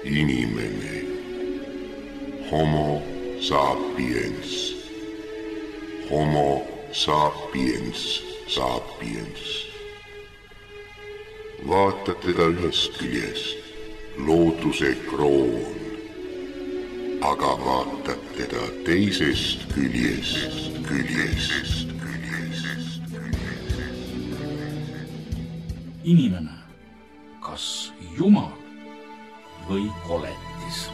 Inimene. Homo sapiens. Homo sapiens sapiens. Vaata teda ühest küljest, looduse kroon, aga vaatad teda teisest küljest. Inimene, kas Jumal või koletis?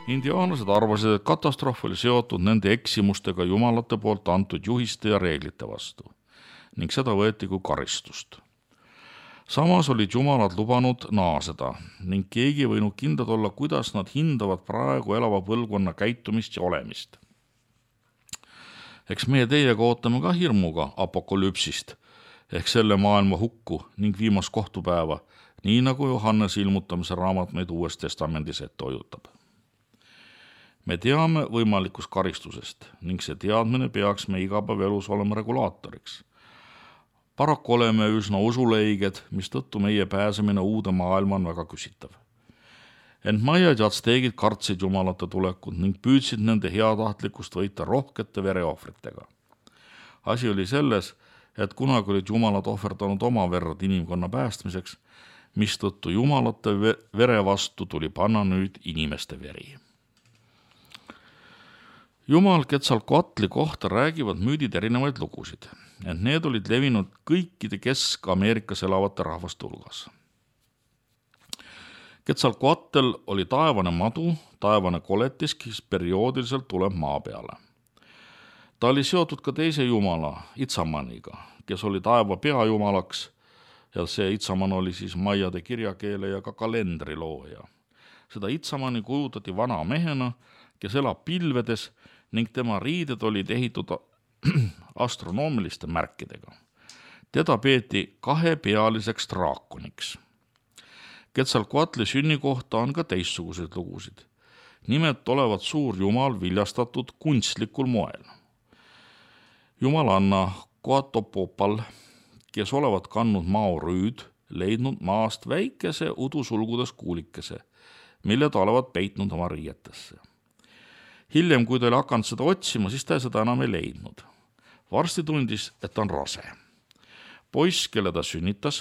Indiaanlased arvasid, et katastroof oli seotud nende eksimustega jumalate poolt antud juhiste ja reeglite vastu ning seda võeti kui karistust. Samas olid jumalad lubanud naaseda ning keegi ei võinud kindlad olla, kuidas nad hindavad praegu elava põlvkonna käitumist ja olemist. Eks meie teiega ootame ka hirmuga apokalüpsist ehk selle maailma hukku ning viimast kohtupäeva, nii nagu Johannes ilmutamise raamat meid Uues Testamendis ette hoiutab. Me teame võimalikust karistusest ning see teadmine peaks me igapäevaelus olema regulaatoriks. Paraku oleme üsna usuleiged, mistõttu meie pääsemine uude maailma on väga küsitav. Ent maiad ja atsteegid kartsid jumalate tulekut ning püüdsid nende heatahtlikkust võita rohkete vereohvritega. Asi oli selles, et kunagi olid jumalad ohverdanud oma verd inimkonna päästmiseks, mistõttu jumalate vere vastu tuli panna nüüd inimeste veri. Jumal Quetzalcoatli kohta räägivad müüdid erinevaid lugusid, ent need olid levinud kõikide Kesk-Ameerikas elavate rahvaste hulgas. Quetzalcoatl oli taevane madu, taevane koletis, kes perioodiliselt tuleb maa peale. Ta oli seotud ka teise jumala, Itzamaniga, kes oli taeva peajumalaks ja see Itzaman oli siis maiade kirjakeele ja ka kalendri looja. Seda Itzamani kujutati vana mehena, kes elab pilvedes ning tema riided olid ehitud astronoomiliste märkidega. Teda peeti kahepealiseks draakoniks. Quetzalcoatli sünni kohta on ka teistsuguseid lugusid. Nimelt olevat suur jumal viljastatud kunstlikul moel. Jumalanna Coatopopal, kes olevat kandnud maorüüd, leidnud maast väikese udusulgudes kuulikese, mille ta olevat peitnud oma riietesse. Hiljem, kui ta oli hakanud seda otsima, siis ta seda enam ei leidnud. Varsti tundis, et ta on rase. Poiss, kelle ta sünnitas,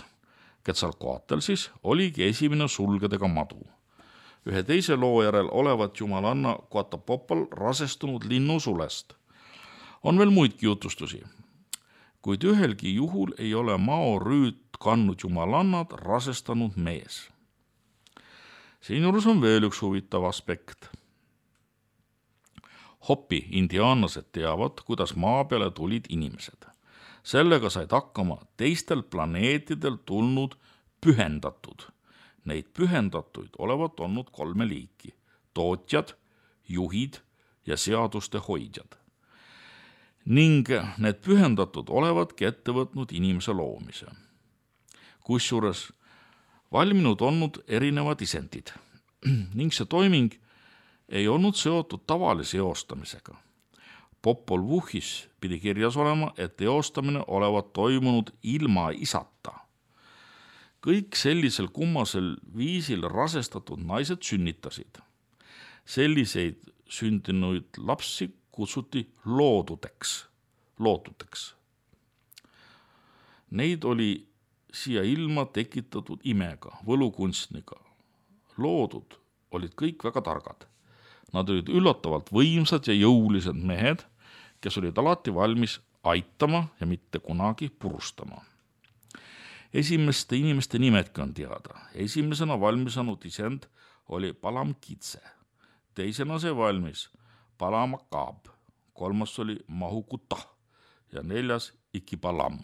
Quetzalcoatl siis, oligi esimene sulgedega madu. Ühe teise loo järel olevat jumalanna Coatopopal rasestunud linnusulest. On veel muidki jutustusi, kuid ühelgi juhul ei ole maorüüd kandnud jumalannad rasestanud mees. Siinjuures on veel üks huvitav aspekt. Hopi indiaanlased teavad, kuidas maa peale tulid inimesed. Sellega said hakkama teistel planeetidel tulnud pühendatud. Neid pühendatuid olevat olnud 3 liiki. Tootjad, juhid ja seaduste hoidjad. Ning need pühendatud olevadki ette võtnud inimese loomise. Kusjuures valminud olnud erinevad isendid ning see toiming ei olnud seotud tavalise eostamisega. Popol Vuhhis pidi kirjas olema, et eostamine olevat toimunud ilma isata. Kõik sellisel kummasel viisil rasestatud naised sünnitasid. Selliseid sündinuid lapsi kutsuti lootuteks. Neid oli siia ilma tekitatud imega, võlukunstniga. Loodud olid kõik väga targad. Nad olid üllatavalt võimsad ja jõulised mehed, kes olid alati valmis aitama ja mitte kunagi purustama. Esimeste inimeste nimedki on teada. Esimesena valmisanud isend oli Palamkitse. Teisena see valmis Palamakab. 3. oli Mahukuta ja 4. Ikipalam.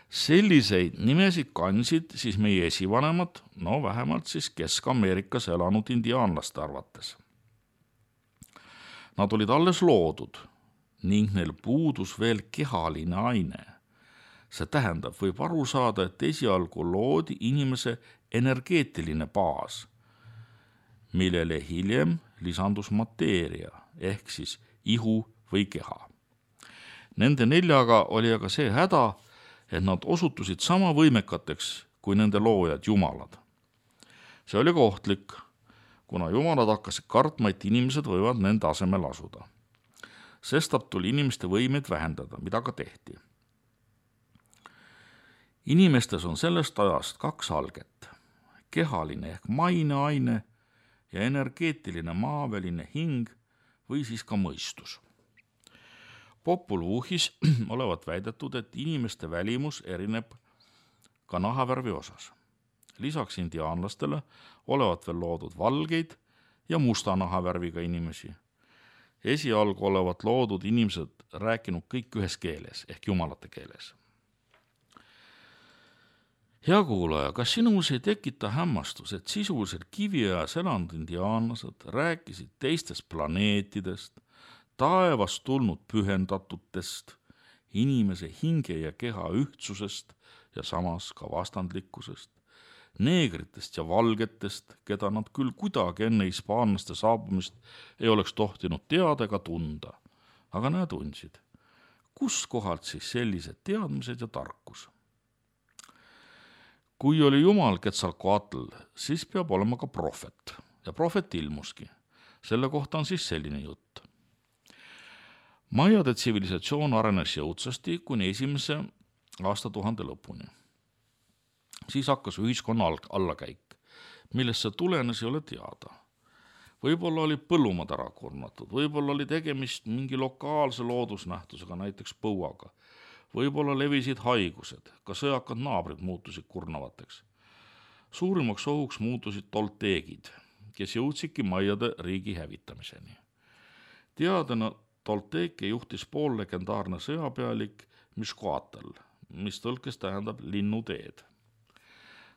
Selliseid nimesid kandsid siis meie esivanemad, vähemalt siis Kesk-Ameerikas elanud indiaanlaste arvates. Nad olid alles loodud ning neil puudus veel kehaline aine. See tähendab, võib aru saada, et esialgu loodi inimese energeetiline baas, millele hiljem lisandus mateeria ehk siis ihu või keha. Nende 4 oli aga see häda, et nad osutusid sama võimekateks kui nende loojad jumalad. See oli ohtlik, kuna jumalad hakkasid kartma, et inimesed võivad nende asemel asuda. Sestap tuli inimeste võimeid vähendada, mida ka tehti. Inimestes on sellest ajast 2 alget, kehaline ehk maineaine ja energeetiline maaväline hing või siis ka mõistus. Popul Vuhhis olevat väidetud, et inimeste välimus erineb ka nahavärvi osas. Lisaks indiaanlastele olevat veel loodud valgeid ja musta nahavärviga inimesi. Esialgu olevat loodud inimesed rääkinud kõik ühes keeles ehk jumalate keeles. Hea kuulaja, kas sinus ei tekita hämmastus, et sisuliselt kiviajas elanud indiaanlased rääkisid teistest planeetidest, taevast tulnud pühendatutest, inimese hinge ja keha ühtsusest ja samas ka vastandlikkusest, neegritest ja valgetest, keda nad küll kuidagi enne hispaanlaste saabumist ei oleks tohtinud teada ega tunda, aga nad tundsid. Kust kohalt siis sellised teadmised ja tarkus? Kui oli jumal Quetzalcoatl, siis peab olema ka prohvet ja prohvet ilmuski. Selle kohta on siis selline jutt. Maiade tsivilisatsioon arenes jõudsasti kuni 1. aastatuhande lõpuni. Siis hakkas ühiskonna allakäik, millest see tulenes ei ole teada. Võib-olla oli põllumaad ära kurnatud, võib-olla oli tegemist mingi lokaalse loodusnähtusega, näiteks põuaga. Võib-olla levisid haigused, ka sõjakad naabrid muutusid kurnavateks. Suurimaks ohuks muutusid tolteegid, kes jõudsidki Maiade riigi hävitamiseni. Teadena tolteeke juhtis poollegendaarne sõjapealik Mixcoatl, mis tõlkes tähendab linnuteed.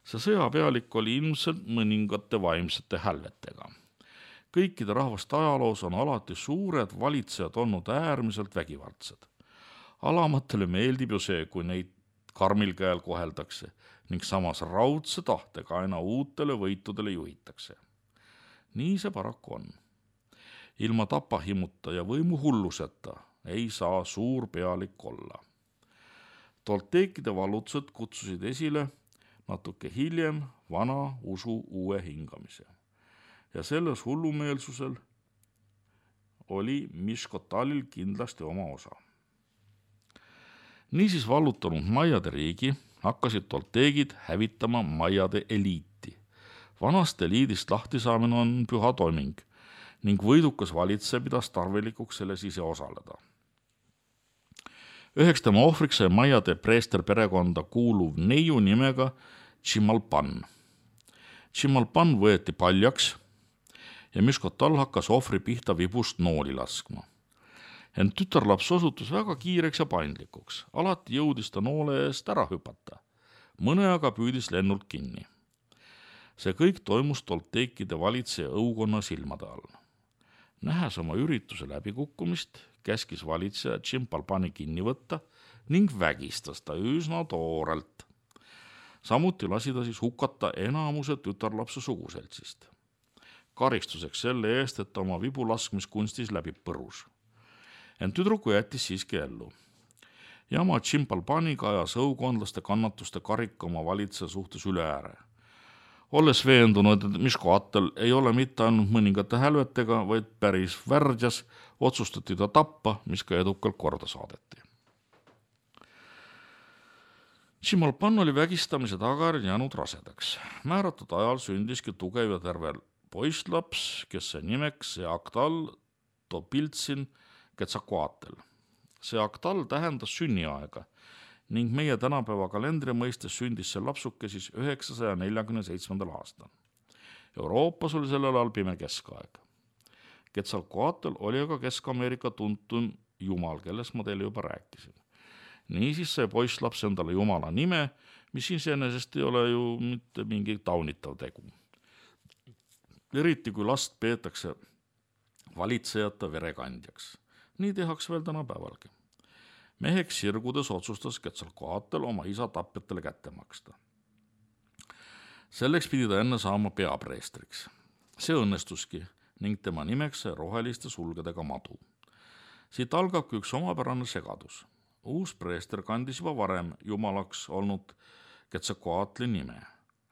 See sõjapealik oli ilmselt mõningate vaimsete hälvetega. Kõikide rahvaste ajaloos on alati suured valitsejad olnud äärmiselt vägivaldsed. Alamatele meeldib ju see, kui neid karmil käel koheldakse ning samas raudse tahtega aina uutele võitudele juhitakse. Nii see paraku on. Ilma tapahimuta ja võimu hulluseta ei saa suur pealik olla. Tolteekide vallutused kutsusid esile natuke hiljem vana usu uue hingamise. Ja selles hullumeelsusel oli Mixcoatlil kindlasti oma osa. Niisiis vallutanud Maiade riigi hakkasid tolteegid hävitama Maiade eliiti. Vanast eliidist lahtisaamine on püha toiming ning võidukas valitseja pidas tarvilikuks selles ise osaleda. Üheks tema ohvriks sai Maiade preester perekonda kuuluv neiu nimega Chimalpan. Chimalpan võeti paljaks ja Mixcoatl hakkas ohvri pihta vibust nooli laskma. Ent tütarlaps osutus väga kiireks ja paindlikuks. Alati jõudis ta noole eest ära hüpata. Mõne aga püüdis lennult kinni. See kõik toimus tolteekide valitseja õukonna silmade all. Nähes oma ürituse läbikukkumist, käskis valitseja Chimalpani kinni võtta ning vägistas ta üsna toorelt. Samuti lasi ta siis hukata enamuse tütarlapse suguseltsist. Karistuseks selle eest, et ta oma vibu laskmiskunstis läbi põrus. Ent tüdruku jättis siiski ellu. Jama Chimalpaniga ajas õukondlaste kannatuste karika oma valitseja suhtes üle ääre. Olles veendunud, et Mixcoatl ei ole mitte ainult mõningate hälvetega, vaid päris värdjas, otsustati ta tappa, mis ka edukalt korda saadeti. Chimalpan oli vägistamise tagajärjel jäänud rasedaks. Määratud ajal sündiski tugev ja terve poisslaps, kes sai nimeks Seactl Topiltsin Quetzalcoatl. Seactl tähendas sünniaega ning meie tänapäeva kalendri mõistes sündis see lapsuke siis 947. aastal. Euroopas oli sellel ajal pime keskaeg. Quetzalcoatl oli aga Kesk-Ameerika tuntum jumal, kellest ma teile juba rääkisin. Niisiis sai poisslaps endale jumala nime, mis iseenesest ei ole ju mitte mingi taunitav tegu. Eriti kui last peetakse valitsejate verekandjaks. Nii tehaks veel tänapäevalgi. Meheks sirgudes otsustas Quetzalcoatl oma isa tapjatele kätte maksta. Selleks pidi ta enne saama peapreestriks. See õnnestuski ning tema nimeks sai roheliste sulgedega madu. Siit algabki üks omapärane segadus. Uus preester kandis juba varem jumalaks olnud Quetzalcoatli nime.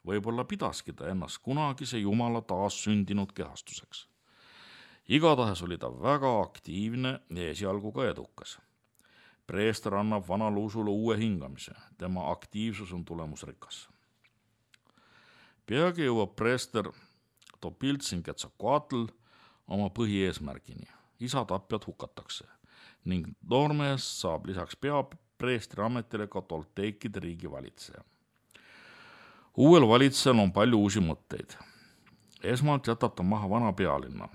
Võib-olla pidaski ta ennast kunagise jumala taas sündinud kehastuseks. Igatahes oli ta väga aktiivne ja esialgu ka edukas. Preester annab vanale usule uue hingamise, tema aktiivsus on tulemusrikas. Peagi jõuab preester Topiltsin Quetzalcoatl oma põhieesmärgini. Isa tapjad hukatakse ning noormehest saab lisaks peapreestri ametile ka Tolteekide riigi valitseja. Uuel valitsejal on palju uusi mõtteid. Esmalt jätab ta maha vana pealinna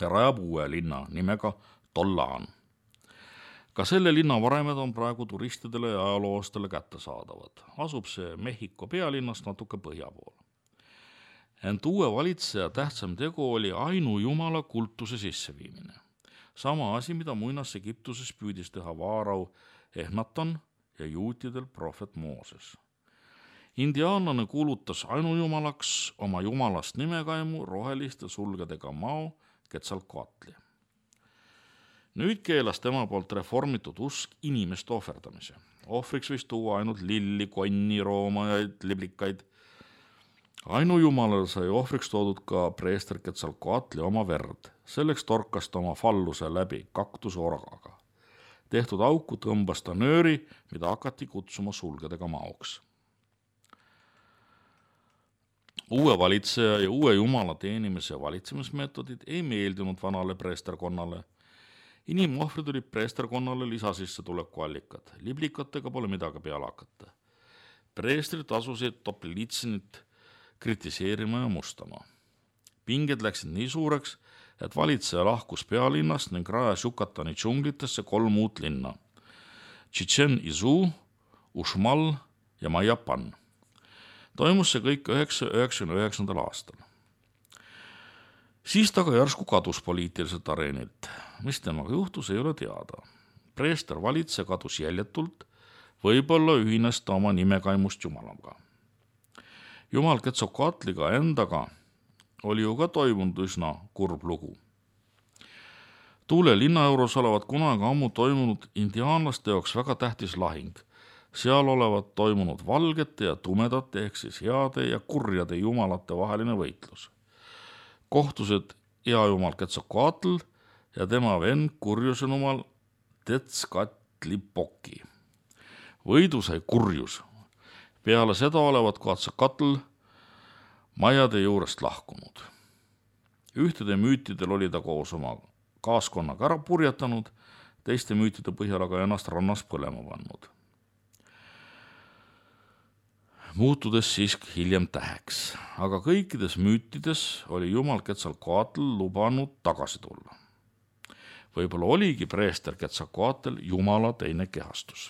ja rajab uue linna nimega Tollaan. Ka selle linna varemed on praegu turistidele ja ajaloostele kättesaadavad. Asub see Mehhiko pealinnast natuke põhja pool. Ent uue valitseja tähtsam tegu oli ainujumala kultuse sisseviimine. Sama asi, mida muinas Egiptuses püüdis teha vaarau Ehnatan ja juutidel prohvet Mooses. Indiaanlane kuulutas ainujumalaks oma jumalast nimekaimu roheliste sulgedega Mao Quetzalcoatli. Nüüd keelas tema poolt reformitud usk inimeste ohverdamise. Ohvriks võis tuua ainult lilli, konni, roomajaid, liblikaid. Ainujumalale sai ohvriks toodud ka preester Quetzalcoatli oma verd. Selleks torkas ta oma falluse läbi kaktuse orgaga. Tehtud auku tõmbas ta nööri, mida hakati kutsuma sulgedega maoks. Uue valitseja ja uue jumala teenimise ja valitsemismeetodid ei meeldinud vanale preesterkonnale. Inimohvrid olid preesterkonnale lisasissetuleku allikad. Liblikatega pole midagi peale hakata. Preestrid asusid Topilitsinit kritiseerima ja mustama. Pinged läksid nii suureks, et valitseja lahkus pealinnast ning rajas Yucatani džunglitesse 3 uut linna. Chichen Itzú, Uxmal ja Mayapan. Toimus see kõik 1999. aastal. Siis ta ka järsku kadus poliitiliselt areenilt. Mis temaga juhtus, ei ole teada. Preester valitseja kadus jäljetult, võib-olla ühines ta oma nimekaimust jumalaga. Jumal Quetzalcoatliga endaga oli ju ka toimunud üsna kurb lugu. Tuule linna juures olevat kunagi ammu toimunud indiaanlaste jaoks väga tähtis lahing. Seal olevat toimunud valgete ja tumedate ehk siis heade ja kurjade jumalate vaheline võitlus. Kohtused hea jumal Quetzalcoatl ja tema vend kurjuse jumal Tezcatlipoca. Võidu sai kurjus. Peale seda olevat Quetzalcoatl majade juurest lahkunud. Ühtede müütidel oli ta koos oma kaaskonnaga ära purjetanud, teiste müütide põhjal aga ennast rannas põlema pannud. Muutudes siiski hiljem täheks, aga kõikides müütides oli jumal Quetzalcoatl lubanud tagasi tulla. Võib-olla oligi preester Quetzalcoatl jumala teine kehastus.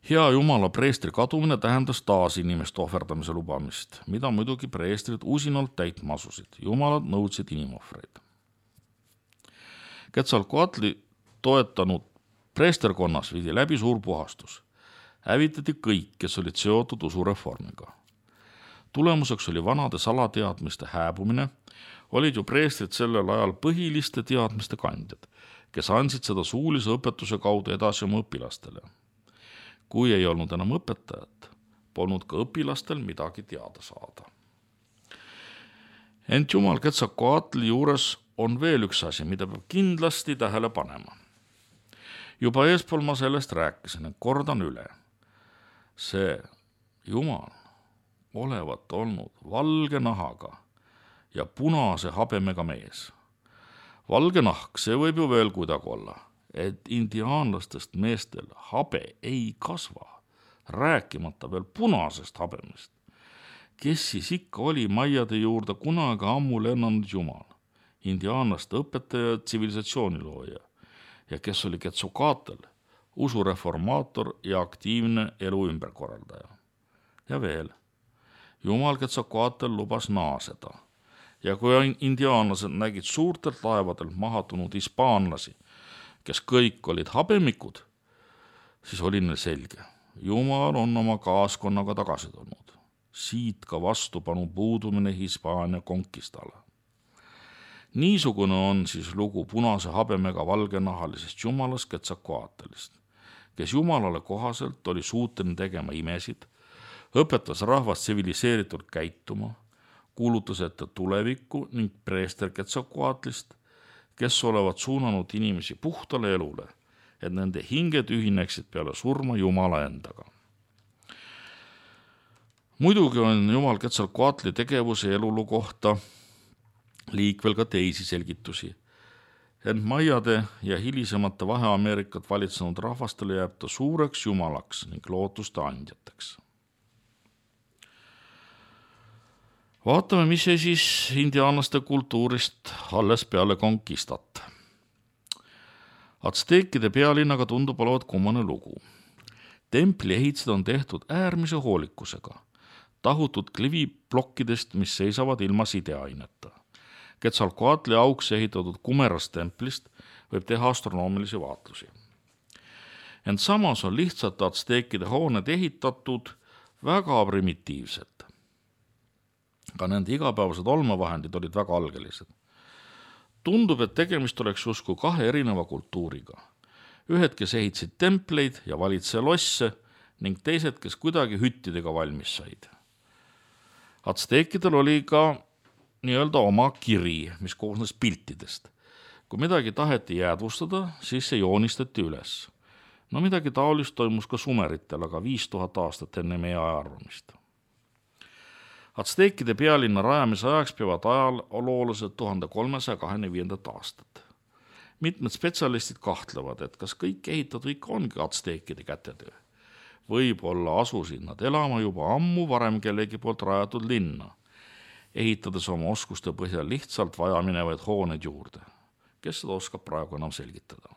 Hea jumala preestri kadumine tähendas taas inimeste ohverdamise lubamist, mida muidugi preestrid usinalt täitma asusid. Jumalad nõudsid inimohvreid. Quetzalcoatli toetanud preesterkonnas viidi läbi suur puhastus. Hävitati kõik, kes olid seotud usureformiga. Tulemuseks oli vanade salateadmiste hääbumine, olid ju preestrid sellel ajal põhiliste teadmiste kandjad, kes andsid seda suulise õpetuse kaudu edasi oma õpilastele. Kui ei olnud enam õpetajat, polnud ka õpilastel midagi teada saada. Ent jumal Quetzalcoatli juures on veel üks asi, mida peab kindlasti tähele panema. Juba eespool ma sellest rääkisin, et kordan üle. See jumal olevat olnud valge nahaga ja punase habemega mees. Valge nahk, see võib ju veel kuidagi olla, et indiaanlastest meestel habe ei kasva, rääkimata veel punasest habemest. Kes siis ikka oli maiade juurde kunagi ammu lennanud jumal, indiaanlaste õpetaja, tsivilisatsioonilooja ja kes oli Quetzalcoatl, usureformaator ja aktiivne elu ümberkorraldaja. Ja veel, jumal Quetzalcoatl lubas naaseda ja kui indiaanlased nägid suurtelt laevadelt mahatunud hispaanlasi, kes kõik olid habemikud, siis oli neil selge. Jumal on oma kaaskonnaga tagasi tulnud. siit ka vastupanu puudumine Hispaania konkistale. Niisugune on siis lugu punase habemega valgenahalisest jumalast Quetzalcoatlist, kes jumalale kohaselt oli suuteline tegema imesid, õpetas rahvast tsiviliseeritult käituma, kuulutas ette tulevikku ning preester Quetzalcoatlist, kes olevat suunanud inimesi puhtale elule, et nende hinged ühineksid peale surma Jumala endaga. Muidugi on Jumal Quetzalcoatli tegevuse elulu kohta liikvel ka teisi selgitusi, ent maiade ja hilisemate Vahe-Ameerikat valitsenud rahvastele jääb ta suureks jumalaks ning lootuste andjateks. Vaatame, mis see siis indiaanlaste kultuurist alles peale konkistat. Atsteekide pealinnaga tundub olevat kummane lugu. Templi ehitused on tehtud äärmise hoolikusega, tahutud kliviplokkidest, mis seisavad ilma sideaineta. Quetzalcoatli auks ehitatud kumerast templist võib teha astronoomilisi vaatlusi. Ent samas on lihtsalt atsteekide hooned ehitatud väga primitiivselt. Ka nende igapäevased olmevahendid olid väga algelised. Tundub, et tegemist oleks justkui kahe erineva kultuuriga. Ühed, kes ehitasid templeid ja valitseja losse ning teised, kes kuidagi hüttidega valmis said. Atsteekidel oli ka nii-öelda oma kiri, mis koosnes piltidest. Kui midagi taheti jäädvustada, siis see joonistati üles. No midagi taolist toimus ka sumeritel, aga 5000 aastat enne meie ajaarvamist. Atsteekide pealinna rajamise ajaks peavad ajaloolased 1325. aastat. Mitmed spetsialistid kahtlevad, et kas kõik ehitatud ikka ongi atsteekide kätetöö. Võib-olla asusid nad elama juba ammu varem kellegi poolt rajatud linna, ehitades oma oskuste põhjal lihtsalt vajaminevaid hooneid juurde. Kes seda oskab praegu enam selgitada?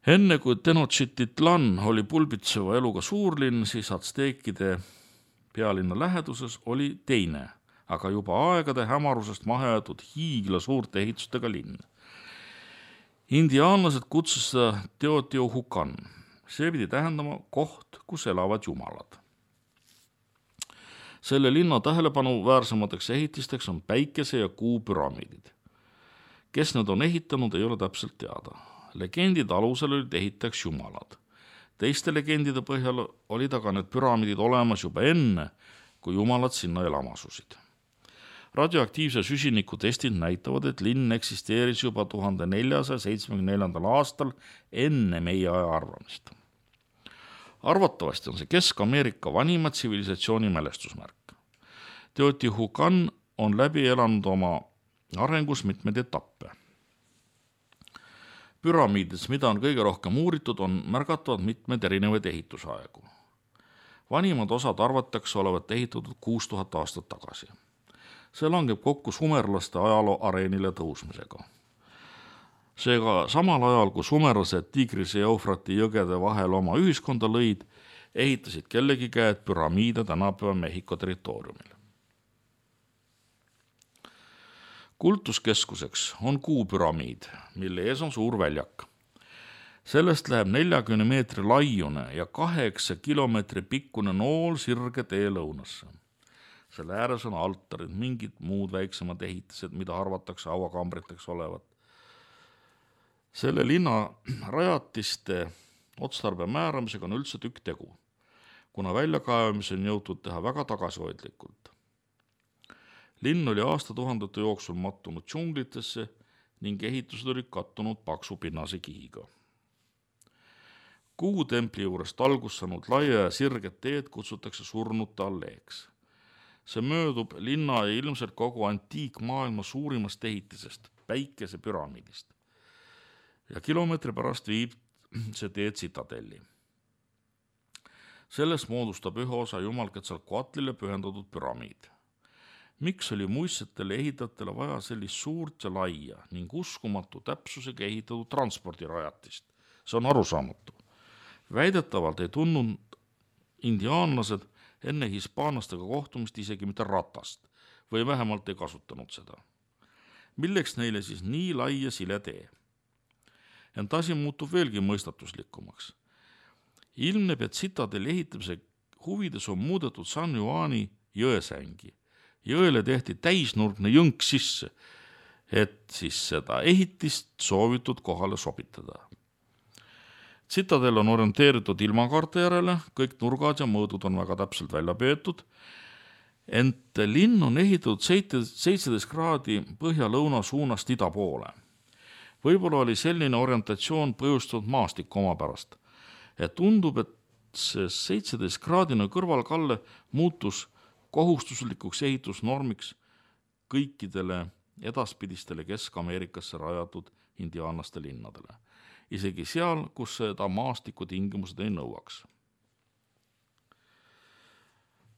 Enne kui Tenochtitlan oli pulbitseva eluga suurlinn, siis atsteekide pealinna läheduses oli teine, aga juba aegade hämarusest mahajäetud hiigla suurte ehitustega linn. Indiaanlased kutsus seda Teotihuacan. See pidi tähendama koht, kus elavad jumalad. Selle linna tähelepanuväärsemateks ehitisteks on päikese- ja kuupüramiidid. Kes need on ehitanud, ei ole täpselt teada. Legendide alusel olid ehitajaks jumalad. Teiste legendide põhjal olid aga need püramiidid olemas juba enne, kui jumalad sinna elama asusid. Radioaktiivse süsiniku testid näitavad, et linn eksisteeris juba 1474. aastal enne meie aja arvamist. Arvatavasti on see Kesk-Ameerika vanima tsivilisatsiooni mälestusmärk. Teotihuacan on läbi elanud oma arengus mitmeid etappe. Püramiidides, mida on kõige rohkem uuritud, on märgatavad mitmeid erinevaid ehitusaegu. Vanimad osad arvatakse olevat ehitatud 6000 aastat tagasi. See langeb kokku sumerlaste ajaloo areenile tõusmisega. Seega samal ajal, kui sumerlased Tigrise ja Eufrati jõgede vahel oma ühiskonda lõid, ehitasid kellegi käed püramiide tänapäeva Mehhiko territooriumil. Kultuskeskuseks on kuupüramiid, mille ees on suur väljak. Sellest läheb 40 meetri laiune ja 8 kilomeetri pikkune nool sirge tee lõunasse. Selle ääres on altarid, mingid muud väiksemad ehitised, mida arvatakse hauakambriteks olevat. Selle linna rajatiste otstarbe määramisega on üldse tükk tegu, kuna väljakaevamise on jõutud teha väga tagasihoidlikult. Linn oli aastatuhandete jooksul mattunud džunglitesse ning ehitused olid kattunud paksu pinnase kihiga. Kuutempli juurest algust saanud laia ja sirget teed kutsutakse surnute alleeks. See möödub linna ja ilmselt kogu antiikmaailma suurimast ehitisest, päikese püramiidist. Ja kilomeetri pärast viib see teed Citadelli. Sellest moodustab ühe osa Jumal Quetzalcoatlile pühendatud püramiid. Miks oli muistsetele ehitajatele vaja sellist suurt ja laia ning uskumatu täpsusega ehitatud transpordirajatist? See on arusaamatu. Väidetavalt ei tundnud indiaanlased enne hispaanlastega kohtumist isegi mitte ratast või vähemalt ei kasutanud seda. Milleks neile siis nii lai ja sile tee? Ent asi muutub veelgi mõistatuslikumaks. Ilmneb, et tsitadelli ehitamise huvides on muudetud San Juani jõesängi. Jõele tehti täisnurgne jõnk sisse, et siis seda ehitist soovitud kohale sobitada. Tsitadel on orienteeritud ilmakaarte järele, kõik nurgad ja mõõdud on väga täpselt välja peetud, ent linn on ehitatud 17 kraadi põhja-lõuna suunast ida poole. Võib-olla oli selline orientatsioon põhjustatud maastiku omapärast, et tundub, et see 17-kraadine kõrvalkalle muutus kohustuslikuks ehitusnormiks kõikidele edaspidistele Kesk-Ameerikasse rajatud indiaanlaste linnadele, isegi seal, kus seda maastiku tingimused ei nõuaks.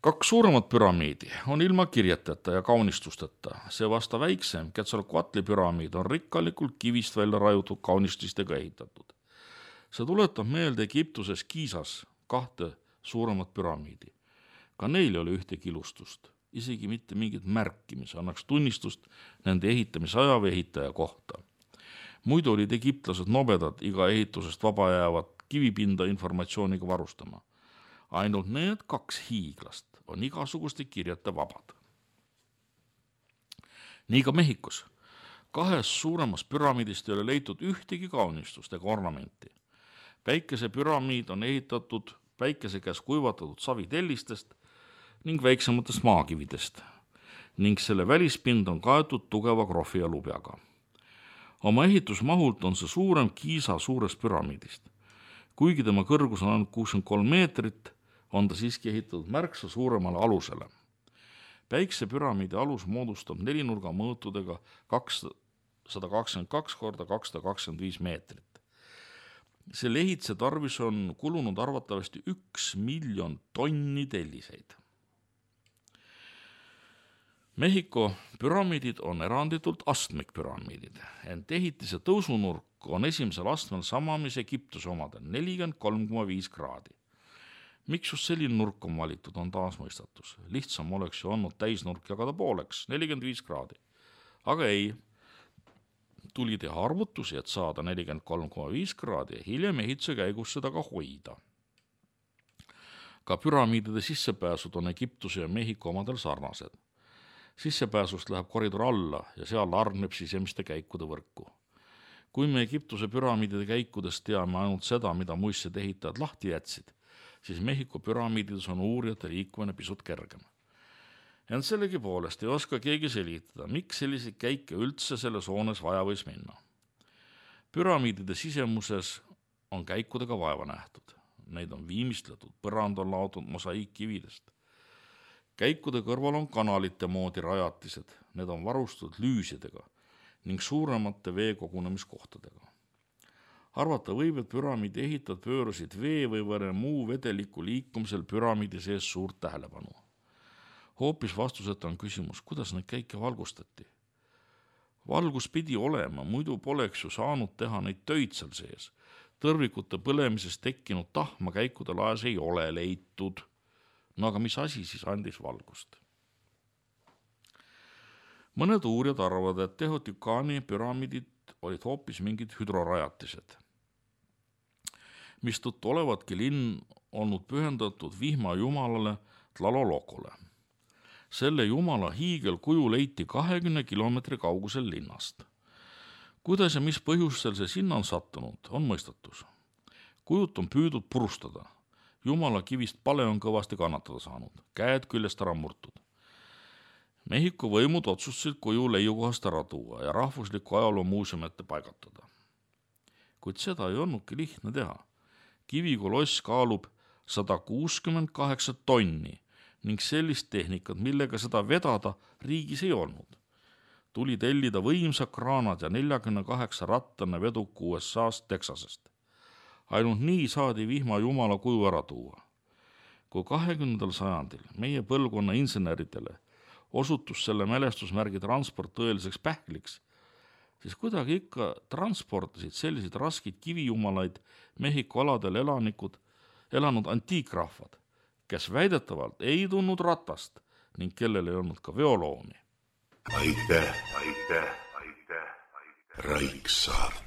2 suuremat püramiidi on ilma kirjeteta ja kaunistusteta, see vasta väiksem Quetzalcoatli püramiid on rikkalikult kivist välja rajutud kaunististega ehitatud. See tuletab meelde Egiptuses Giizas 2 suuremat püramiidi. Ka neil oli ühtegi ilustust, isegi mitte mingit märki, mis annaks tunnistust nende ehitamisaja või ehitaja kohta. Muidu olid egiptlased nobedad iga ehitusest vaba jäävat kivipinda informatsiooniga varustama. Ainult need 2 hiiglast on igasuguste kirjete vabad. Nii ka Mehhikos. 2 suuremast püramiidist ei ole leitud ühtegi kaunistust ega ornamenti. Päikese püramiid on ehitatud päikese käes kuivatatud savitellistest ning väiksematest maakividest ning selle välispind on kaetud tugeva krohvi ja lubjaga. Oma ehitusmahult on see suurem Giza suurest püramiidist. Kuigi tema kõrgus on ainult 63 meetrit, on ta siiski ehitatud märksa suuremale alusele. Päikse püramiidi alus moodustab 4 nurga mõõtudega 222 korda 225 meetrit. Selle ehituse tarvis on kulunud arvatavasti 1 miljon tonni telliseid. Mehhiko püramiidid on eranditult astmikpüramiidid, ent ehitise tõusunurk on esimesel astmel sama, mis Egiptuse omadel, 43,5 kraadi. Miks just selline nurk on valitud, on taas mõistatus. Lihtsam oleks ju olnud täisnurk jagada pooleks, 45 kraadi. Aga ei, tuli teha arvutusi, et saada 43,5 kraadi ja hiljem ehituse käigus seda ka hoida. Ka püramiidide sissepääsud on Egiptuse ja Mehhiko omadel sarnased. Sissepääsust läheb koridor alla ja seal argneb sisemiste käikude võrku. Kui me Egiptuse püramiidide käikudest teame ainult seda, mida muistsed ehitajad lahti jätsid, siis Mehhiko püramiidides on uurijate liikumine pisut kergem. Ent sellegi poolest ei oska keegi selitada, miks selliseid käike üldse selles hoones vaja võis minna. Püramiidide sisemuses on käikudega vaeva nähtud. Neid on viimistletud, põrand on laotud mosaiikkividest. Käikude kõrval on kanalite moodi rajatised, need on varustatud lüüsidega ning suuremate veekogunemiskohtadega. Arvata võib, et püramiidi ehitajad pöörasid vee või muu vedeliku liikumisel püramiidi sees suurt tähelepanu. Hoopis vastuseta on küsimus, kuidas neid käike valgustati. Valgus pidi olema, muidu poleks ju saanud teha neid töid seal sees. Tõrvikute põlemisest tekkinud tahma käikude laes ei ole leitud. No aga mis asi siis andis valgust? Mõned uurijad arvavad, et Teotikani püramiidid olid hoopis mingid hüdrorajatised, mistõttu olevatki linn olnud pühendatud vihma jumalale Tlalolokole. Selle jumala hiigelkuju leiti 20 kilomeetri kaugusel linnast. Kuidas ja mis põhjustel see sinna on sattunud, on mõistatus. Kujut on püüdud purustada. Jumala kivist pale on kõvasti kannatada saanud, käed küljest ära murtud. Mehhiko võimud otsustasid kuju leiukohast ära tuua ja rahvusliku ajaloo muuseumite paigatada. Kuid seda ei olnudki lihtne teha. Kivikoloss kaalub 168 tonni ning sellist tehnikat, millega seda vedada, riigis ei olnud. Tuli tellida võimsad kraanad ja 48 rattane veduk USA-st Texasest. Ainult nii saadi vihma jumala kuju ära tuua. Kui 20. sajandil meie põlvkonna inseneridele osutus selle mälestusmärgi transport tõeliseks pähkliks, siis kuidagi ikka transportisid selliseid raskeid kivijumalaid Mehhiko aladel elanud antiikrahvad, kes väidetavalt ei tundnud ratast ning kellel ei olnud ka veoloomi. Aitäh, Raiksaart.